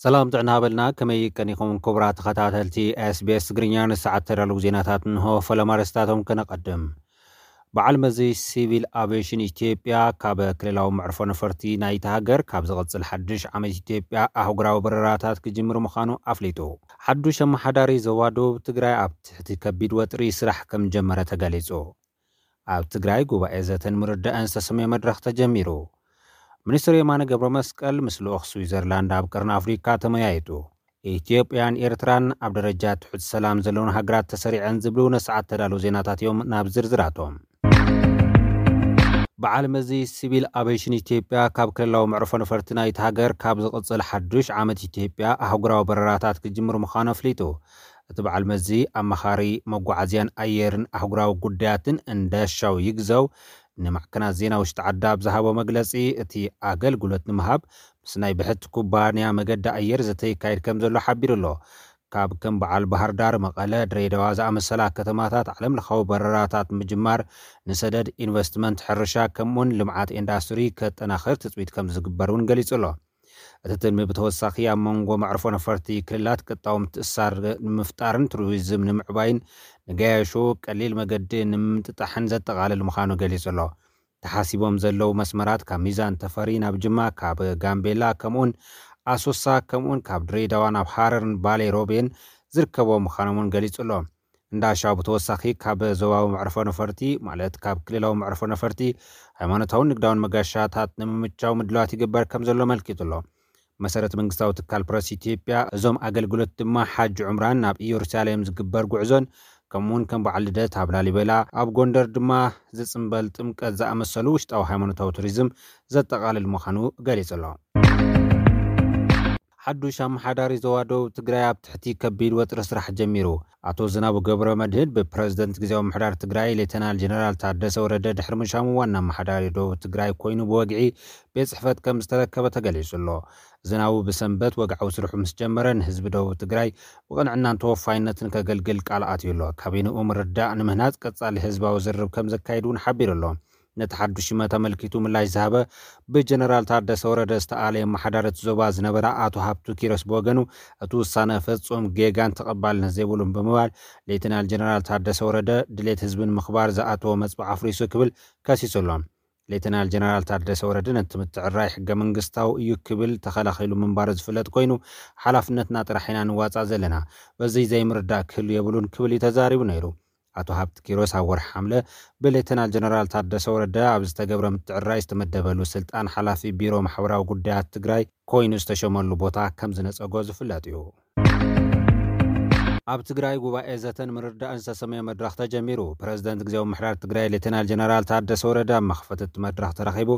ሰላም ጥዕና በልና። ከመይ ቀኒኹም ክቡራት ተኸታተልቲ SBS ትግርኛ? ንሰዓት ተዳለዉ ዜናታት እንሆ። ፈለማ ኣርእስታቶም ከነቐድም። በዓል መዚ ሲቪል ኣቪዬሽን ኢትዮጵያ ካብ ክልላዊ መዕርፎ ነፈርቲ ናይቲ ሃገር ካብ ዝቕጽል ሓድሽ ዓመት ኢትዮጵያ ኣህጉራዊ በረራታት ክጅምር ምዃኑ ኣፍሊጡ። ሓዱሽ ኣመሓዳሪ ዞባ ደቡብ ትግራይ ኣብ ትሕቲ ከቢድ ወጥሪ ስራሕ ከም ጀመረ ተገሊጹ። ኣብ ትግራይ ጉባኤ ዘተን ምርዳእን ዝተሰመየ መድረኽ ተጀሚሩ። ሚኒስትር የማነ ገብረ መስቀል ምስ ልኡኽ ስዊዘርላንድ ኣብ ቀርኒ ኣፍሪካ ተመያይጡ። ኢትዮጵያን ኤርትራን ኣብ ደረጃ ትሑት ሰላም ዘለውን ሃገራት ተሰሪዐን ዝብሉ ንሰዓት ተዳለዉ ዜናታት እዮም። ናብ ዝርዝራቶም። በዓል መዚ ሲቪል ኣቪዬሽን ኢትዮጵያ ካብ ክልላዊ መዕርፎ ነፈርቲ ናይቲ ሃገር ካብ ዝቕጽል ሓዱሽ ዓመት ኢትዮጵያ ኣህጉራዊ በረራታት ክጅምር ምዃኑ ኣፍሊጡ። እቲ በዓል መዚ ኣማኻሪ መጓዓዝያን ኣየርን ኣህጉራዊ ጉዳያትን እንዳሻው ይግዘው ንማዕከናት ዜና ውሽጢ ዓዲ ኣብ ዝሃቦ መግለጺ፣ እቲ ኣገልግሎት ንምሃብ ምስ ናይ ብሕቲ ኩባንያ መገዲ ኣየር ዘተ ይካየድ ከም ዘሎ ሓቢሩ ኣሎ። ካብ ከም በዓል ባህር ዳር፣ መቐለ፣ ድሬዳዋ ዝኣመሰላ ከተማታት ዓለም ለኻዊ በረራታት ምጅማር ንሰደድ፣ ኢንቨስትመንት፣ ሕርሻ ከምኡውን ልምዓት ኢንዳስትሪ ከጠናኽር ትፅቢት ከም ዝግበር እውን ገሊጹ ኣሎ። እቲ ትልሚ ብተወሳኺ ኣብ መንጎ መዕርፎ ነፈርቲ ክልላት ቅጣው ምትእሳር ንምፍጣርን ቱሪዝም ንምዕባይን ንገያሾ ቀሊል መገዲ ንምምጥጣሕን ዘጠቓልል ምዃኑ ገሊጹ ኣሎ። ተሓሲቦም ዘለዉ መስመራት ካብ ሚዛን ተፈሪ ናብ ጅማ፣ ካብ ጋምቤላ ከምኡውን ኣሶሳ ከምኡውን ካብ ድሬዳዋ ናብ ሃረርን ባሌ ሮቤን ዝርከቦ ምዃኖም እውን ገሊጹ ኣሎ። እንዳሻው ብተወሳኺ ካብ ዞባዊ መዕርፎ ነፈርቲ ማለት ካብ ክልላዊ መዕርፎ ነፈርቲ ሃይማኖታውን ንግዳውን መጋሻታት ንምምቻው ምድላዋት ይግበር ከም ዘሎ ኣመልኪቱ ኣሎ። መሰረት መንግስታዊ ትካል ፕረስ ኢትዮጵያ እዞም ኣገልግሎት ድማ ሓጅ ዑምራን ናብ ኢየሩሳሌም ዝግበር ጉዕዞን ከምኡውን ከም በዓል ልደት ኣብ ላሊበላ ኣብ ጎንደር ድማ ዝጽንበል ጥምቀት ዝኣመሰሉ ውሽጣዊ ሃይማኖታዊ ቱሪዝም ዘጠቓልል ምዃኑ ገሊጹ ኣሎ። ሓዱሽ ኣመሓዳሪ ዞባ ደቡብ ትግራይ ኣብ ትሕቲ ከቢድ ወጥሪ ስራሕ ጀሚሩ። ኣቶ ዝናቡ ገብረ መድህን ብፕረዚደንት ግዜያዊ ምሕዳር ትግራይ ሌተናል ጀነራል ታደሰ ወረደ ድሕሪ ምሻሙ ዋና ኣመሓዳሪ ደቡብ ትግራይ ኮይኑ ብወግዒ ቤት ጽሕፈት ከም ዝተረከበ ተገሊጹ ኣሎ። ዝናቡ ብሰንበት ወግዓዊ ስርሑ ምስ ጀመረ ንህዝቢ ደቡብ ትግራይ ብቕንዕናን ተወፋይነትን ከገልግል ቃል ኣትዩ ኣሎ። ካቢንኡ ምርዳእ ንምህናጽ ቀጻሊ ህዝባዊ ዝርርብ ከም ዘካይድ እውን ሓቢሩ ኣሎ። ነቲ ሓዱሽ ሽመት ኣመልኪቱ ምላሽ ዝሃበ ብጀነራል ታደሰ ወረደ ዝተኣለየ ኣመሓዳሪ እቲ ዞባ ዝነበረ ኣቶ ሃብቱ ኪሮስ ብወገኑ፣ እቲ ውሳነ ፍጹም ጌጋን ተቐባልነት ዘይብሉን ብምባል፣ ሌተናል ጀነራል ታደሰ ወረደ ድሌት ህዝቢ ንምኽባር ዝኣተወ መጽብዕ ኣፍሪሱ ክብል ከሲሱ ኣሎ። ሌተናል ጀነራል ታደሰ ወረደ ነቲ ምትዕርራይ ሕገ መንግስታዊ እዩ ክብል ተኸላኺሉ ምንባሩ ዝፍለጥ ኮይኑ፣ ሓላፍነትና ጥራሕ ኢና ንዋጻእ ዘለና፣ በዚ ዘይምርዳእ ክህሉ የብሉን ክብል እዩ ተዛሪቡ ነይሩ። ኣቶ ሃብቲ ኪሮስ ኣብ ወርሒ ሓምለ ብሌተናል ጀነራል ታደሰ ወረደ ኣብ ዝተገብረ ምትዕርራይ ዝተመደበሉ ስልጣን ሓላፊ ቢሮ ማሕበራዊ ጉዳያት ትግራይ ኮይኑ ዝተሸመሉ ቦታ ከም ዝነጸጎ ዝፍለጥ እዩ። ኣብ ትግራይ ጉባኤ ዘተን ምርዳእን ዝተሰመየ መድረኽ ተጀሚሩ። ፕረዚደንት ግዜያዊ ምሕዳር ትግራይ ሌተናል ጀነራል ታደሰ ወረደ ኣብ መኽፈቲ እቲ መድረኽ ተረኺቡ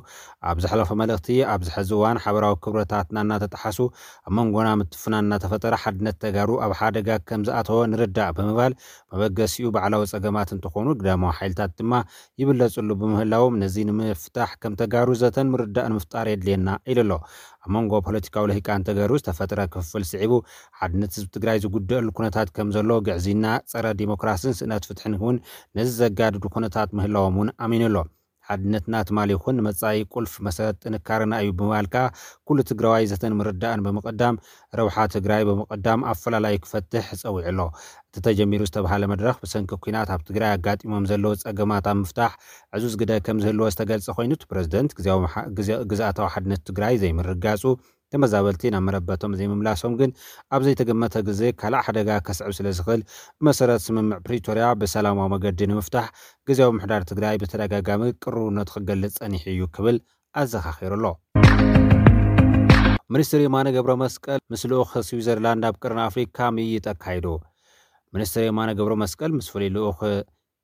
ኣብ ዘሕለፎ መልእኽቲ፣ ኣብዚ ሕዚ እዋን ሓበራዊ ክብረታትና እናተጠሓሱ ኣብ መንጎና ምትፍናን እናተፈጠረ ሓድነት ተጋሩ ኣብ ሓደጋ ከም ዝኣተወ ንርዳእ ብምባል፣ መበገሲኡ ባዕላዊ ጸገማት እንትኾኑ፣ ግዳማዊ ሓይልታት ድማ ይብለጽሉ ብምህላዎም፣ ነዚ ንምፍታሕ ከም ተጋሩ ዘተን ምርዳእን ምፍጣር የድልየና ኢሉ ኣሎ። ኣብ መንጎ ፖለቲካዊ ልሂቃን ተጋሩ ዝተፈጥረ ክፍፍል ስዒቡ፣ ሓድነት ህዝቢ ትግራይ ዝጉደአሉ ኩነታት ከም ዘሎ፣ ግዕዝይና፣ ጸረ ዲሞክራስን ስእነት ፍትሕን እውን ነዚ ዘጋድዱ ኩነታት ምህላዎም እውን ኣሚኑ ኣሎ። ሓድነትና ትማሊ ይኹን ንመጻኢ ቁልፍ መሰረት ጥንካረና እዩ ብምባል ከኣ፣ ኩሉ ትግራዋይ ዘተን ምርዳእን ብምቕዳም፣ ረብሓ ትግራይ ብምቕዳም ኣፈላላዩ ክፈትሕ ጸዊዑ ኣሎ። እቲ ተጀሚሩ ዝተባሃለ መድረኽ ብሰንኪ ኲናት ኣብ ትግራይ ኣጋጢሞም ዘለዉ ጸገማት ኣብ ምፍታሕ ዕዙዝ ግደ ከም ዝህልዎ ዝተገልጸ ኮይኑ፣ እቲ ፕረዚደንት ግዝያዊ መሓ-፣ ግዝ-፣ ግዝኣታዊ ሓድነት ትግራይ ዘይምርጋጹ፣ ተመዛበልቲ ናብ መረበቶም ዘይምምላሶም ግን ኣብ ዘይተገመተ ግዜ ካልእ ሓደጋ ከስዕብ ስለ ዝኽእል፣ ብመሰረት ስምምዕ ፕሪቶርያ ብሰላማዊ መገዲ ንምፍታሕ ግዝያዊ ምሕዳር ትግራይ ብተደጋጋሚ ቅርብነቱ ክገልጽ ጸኒሑ እዩ ክብል ኣዘኻኺሩ ኣሎ። ሚኒስትር የማነ ገብረ መስቀል ምስ ልኡኽ ስዊዘርላንድ ኣብ ቅርኒ ኣፍሪካ ምይይጥ ኣካይዱ። ሚኒስትር የማነ ገብረ መስቀል ምስ ፍሉይ ልኡኽ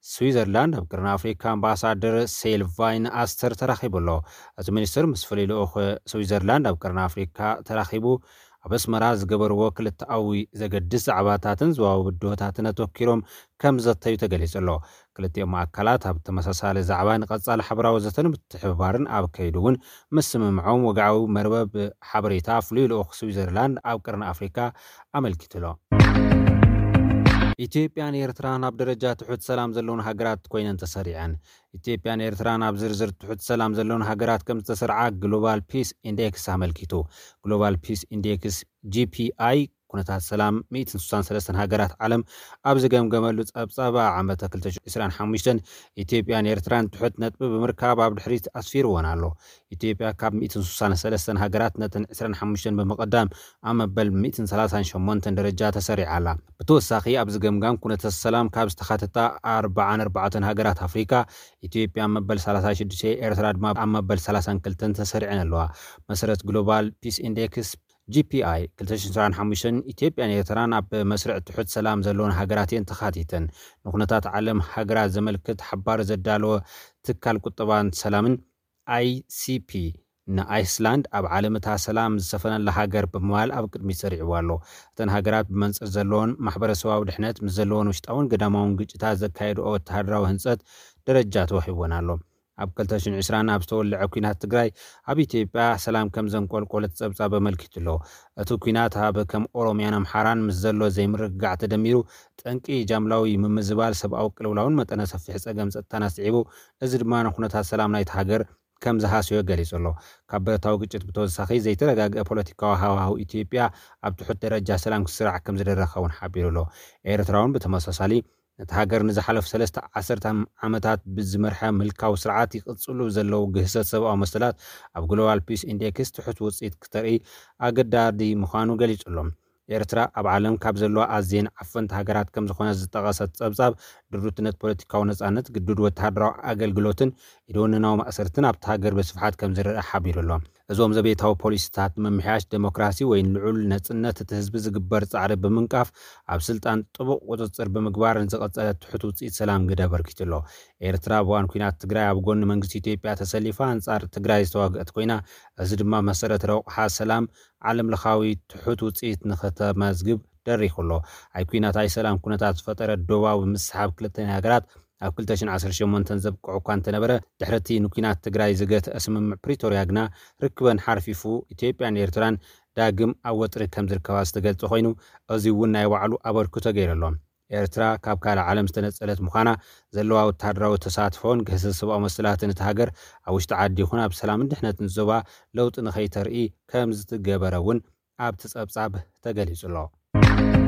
ስዊዘርላንድ ኣብ ቅርኒ ኣፍሪካ ኣምባሳደር ሴልቫይን ኣስተር ተራኺቡ ኣሎ። እቲ ሚኒስትር ምስ ፍሉይ ልኡኽ ስዊዘርላንድ ኣብ ቅርኒ ኣፍሪካ ተራኺቡ ኣብ ኣስመራ ዝገበርዎ ክልተኣዊ ዘገድስ ዛዕባታትን ዞባዊ ብድሆታትን ኣተኪሮም ከም ዘተዩ ተገሊጹ ኣሎ። ክልቲኦም ኣካላት ኣብ ተመሳሳሊ ዛዕባ ንቐጻሊ ሓበራዊ ዘተን ምትሕብባርን ኣብ ከይዱ እውን ምስምምዖም ወግዓዊ መርበብ ሓበሬታ ፍሉይ ልኡኽ ስዊዘርላንድ ኣብ ቅርኒ ኣፍሪካ ኣመልኪቱ ኣሎ። ኢትዮጵያን ኤርትራን ኣብ ደረጃ ትሑት ሰላም ዘለውን ሃገራት ኮይነን ተሰሪዐን። ኢትዮጵያን ኤርትራን ኣብ ዝርዝር ትሑት ሰላም ዘለውን ሃገራት ከም ዝተሰርዓ ግሎባል ፒስ ኢንዴክስ ኣመልኪቱ። ግሎባል ፒስ ኢንዴክስ፣ ጂ ፒ ኣይ፣ ኩነታት ሰላም ሚእትን ስሳን ሰለስተን ሃገራት ዓለም ኣብ ዝገምገመሉ ጸብጻብ፣ ዓመተ ክልተ ሽሕን ዕስራን ሓሙሽተን ኢትዮጵያን ኤርትራን ትሑት ነጥቢ ብምርካብ ኣብ ድሕሪት ኣስፊርወን ኣሎ። ኢትዮጵያ ካብ ሚእትን ስሳን ሰለስተን ሃገራት ነተን ዕስራን ሓሙሽተን ብምቕዳም ኣብ መበል ሚእትን ሰላሳን ሸሞንተን ደረጃ ተሰሪዓ ኣላ። ብተወሳኺ ኣብዚ ገምጋም ኩነተ ሰላም ካብ ዝተኻተታ ኣርባዓን ኣርባዕተን ሃገራት ኣፍሪካ፣ ኢትዮጵያ ኣብ መበል ሰላሳ ሽዱሽተ፣ ኤርትራ ድማ ኣብ መበል ሰላሳን ክልተን ተሰሪዐን ኣለዋ። መሰረት ግሎባል ፒስ ኢንዴክስ፣ ጂ ፒ ኣይ፣ ክልተ ሽሕን ዕስራን ሓሙሽተን ኢትዮጵያን ኤርትራን ኣብ መስርዕ ትሑት ሰላም ዘለወን ሃገራት እየን ተኻቲተን። ንኩነታት ዓለም ሃገራት ዘመልክት ሓባር ዘዳለወ ትካል ቁጠባን ሰላምን፣ ኣይ ሲ ፒ፣ ንኣይስላንድ ኣብ ዓለም እታ ሰላም ዝሰፈነላ ሃገር ብምባል ኣብ ቅድሚት ሰሪዕዋ ኣሎ። እተን ሃገራት ብመንጽር ዘለዎን ማሕበረሰባዊ ድሕነት ምስ ዘለዎን ውሽጣውን ገዳማውን ግጭታት ዘካየድኦ ወተሃደራዊ ህንጸት ደረጃ ተዋሂብወን ኣሎ። ኣብ ክልተ ሽሕን ዕስራን ኣብ ዝተወልዐ ኲናት ትግራይ ኣብ ኢትዮጵያ ሰላም ከም ዘንቆልቆለት ጸብጻብ ኣመልኪቱ ኣሎ። እቲ ኲናት ኣብ ከም ኦሮሚያን ኣምሓራን ምስ ዘሎ ዘይምርግጋዕ ተደሚሩ ጠንቂ ጃምላዊ ምምዝባል ሰብኣዊ ቅልውላውን መጠነ ሰፊሕ ጸገም ጸጥታን ኣስዒቡ፣ እዚ ድማ ንኩነታት ሰላም ናይቲ ሃገር ከም ዝሃሰዮ ገሊጹ ኣሎ። ካብ ብረታዊ ግጭት ብተወሳኺ ዘይተረጋግአ ፖለቲካዊ ሃዋህው ኢትዮጵያ ኣብ ትሑት ደረጃ ሰላም ክስራዕ ከም ዝደረኸ እውን ሓቢሩ ኣሎ። ኤርትራ እውን ብተመሳሳሊ ነቲ ሃገር ንዝሓለፉ ሰለስተ ዓሰርተ ዓመታት ብዝመርሐ ምልካዊ ስርዓት ይቕጽሉ ዘለዉ ግህሰት ሰብኣዊ መሰላት ኣብ ግሎባል ፒስ ኢንዴክስ ትሑት ውጽኢት ክተርኢ ኣገዳዲ ምዃኑ ገሊጹ ኣሎ። ኤርትራ ኣብ ዓለም ካብ ዘለዋ ኣዝየን ዓፈንቲ ሃገራት ከም ዝኾነት ዝጠቐሰት ጸብጻብ፣ ድሩትነት ፖለቲካዊ ነጻነት፣ ግዱድ ወተሃደራዊ ኣገልግሎትን ኢደወነናዊ ማእሰርትን ኣብቲ ሃገር ብስፍሓት ከም ዝረአ ሓቢሩ ኣሎ። እዞም ዘቤታዊ ፖሊሲታት ንምምሕያሽ፣ ዴሞክራሲ ወይ ልዑል ነጽነት እቲ ህዝቢ ዝግበር ጻዕሪ ብምንቃፍ፣ ኣብ ስልጣን ጥቡቕ ቁጽጽር ብምግባር ንዝቐጸለ ትሑት ውጽኢት ሰላም ግደ ኣበርኪቱ ኣሎ። ኤርትራ ኣብ እዋን ኲናት ትግራይ ኣብ ጎኒ መንግስቲ ኢትዮጵያ ተሰሊፋ ኣንጻር ትግራይ ዝተዋግአት ኮይና፣ እዚ ድማ መሰረት ረቑሓ ሰላም ዓለም ለኻዊ ትሑት ውጽኢት ንኽተመዝግብ ደሪኹ ኣሎ። ኣይ ኲናት ኣይ ሰላም ኩነታት ዝፈጠረ ዶባዊ ምስሓብ ክልተን ሃገራት ኣብ ክልተ ሽሕን ዓሰርተ ሸሞንተን ዘብቅዑ እኳ እንተነበረ፣ ድሕሪ እቲ ንኲናት ትግራይ ዝገትአ ስምምዕ ፕሪቶርያ ግና ርክበን ሓርፊፉ፣ ኢትዮጵያን ኤርትራን ዳግም ኣብ ወጥሪ ከም ዝርከባ ዝተገልጸ ኮይኑ፣ እዚ እውን ናይ ባዕሉ ኣበርክቶ ገይሩ ኣሎ። ኤርትራ ካብ ካልእ ዓለም ዝተነጸለት ምዃና፣ ዘለዋ ወተሃደራዊ ተሳትፎን ግህሰት ሰብኣዊ መሰላትን እቲ ሃገር ኣብ ውሽጢ ዓዲ ይኹን ኣብ ሰላምን ድሕነትን ዞባ ለውጢ ንኸይተርኢ ከም ዝትገበረ እውን ኣብቲ ጸብጻብ ተገሊጹ ኣሎ።